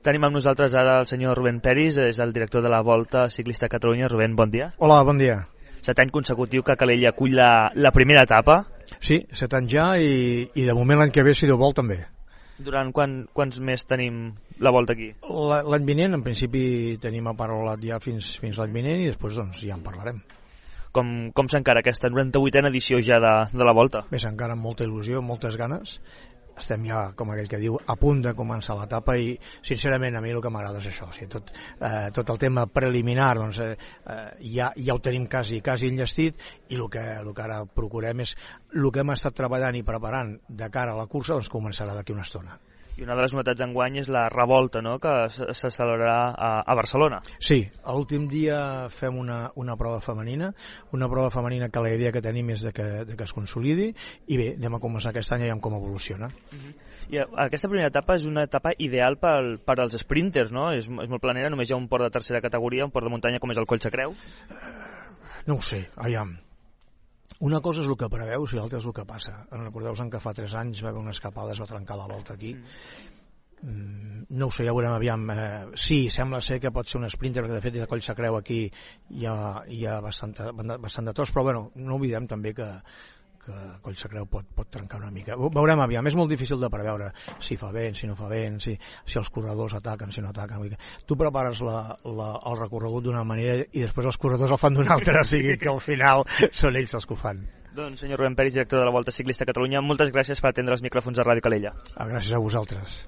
Tenim amb nosaltres ara el senyor Rubén Peris, és el director de la Volta Ciclista a Catalunya. Rubén, bon dia. Hola, bon dia. 7 anys consecutiu que Calella acull la primera etapa. Sí, 7 anys ja i de moment l'any que ve, si Déu vol, també. Durant quants més tenim la Volta aquí? L'any vinent, en principi, tenim aparolat ja fins l'any vinent i després doncs, ja en parlarem. Com s'encara aquesta 98a edició ja de la Volta? Bé, s'encara amb molta il·lusió, moltes ganes. Estem ja, com aquell que diu, a punt de començar l'etapa i, sincerament, a mi el que m'agrada és això. O sigui, tot el tema preliminar doncs, ja ho tenim quasi enllestit i el que ara procurem és el que hem estat treballant i preparant de cara a la cursa doncs començarà d'aquí una estona. I una de les novetats d'enguany és la revolta, no?, que se celebrarà a Barcelona. Sí, l'últim dia fem una prova femenina que la idea que tenim és de que es consolidi i bé, anem a començar aquest any i veiem com evoluciona. I aquesta primera etapa és una etapa ideal per als sprinters, no? És molt planera, només hi ha un port de tercera categoria, un port de muntanya com és el Collsacreu. No ho sé, aviam. Una cosa és el que preveus i l'altra és el que passa. Recordeu-vos que fa 3 anys va haver una escapada, es va trencar la volta aquí. No ho sé, ja veurem, aviam. Sí, sembla ser que pot ser un sprinter, perquè de fet de Collsacreu aquí hi ha bastant de tros, però bueno, no oblidem també que Collsacreu pot trencar una mica. Veurem, aviam, és molt difícil de preveure si fa vent, si no fa vent, si els corredors ataquen, si no ataquen. Tu prepares el recorregut d'una manera i després els corredors el fan d'una altra, o sigui que al final són ells els que ho fan. Doncs senyor Rubén Peris, director de la Volta Ciclista a Catalunya, moltes gràcies per atendre els micròfons de Ràdio Calella. Gràcies a vosaltres.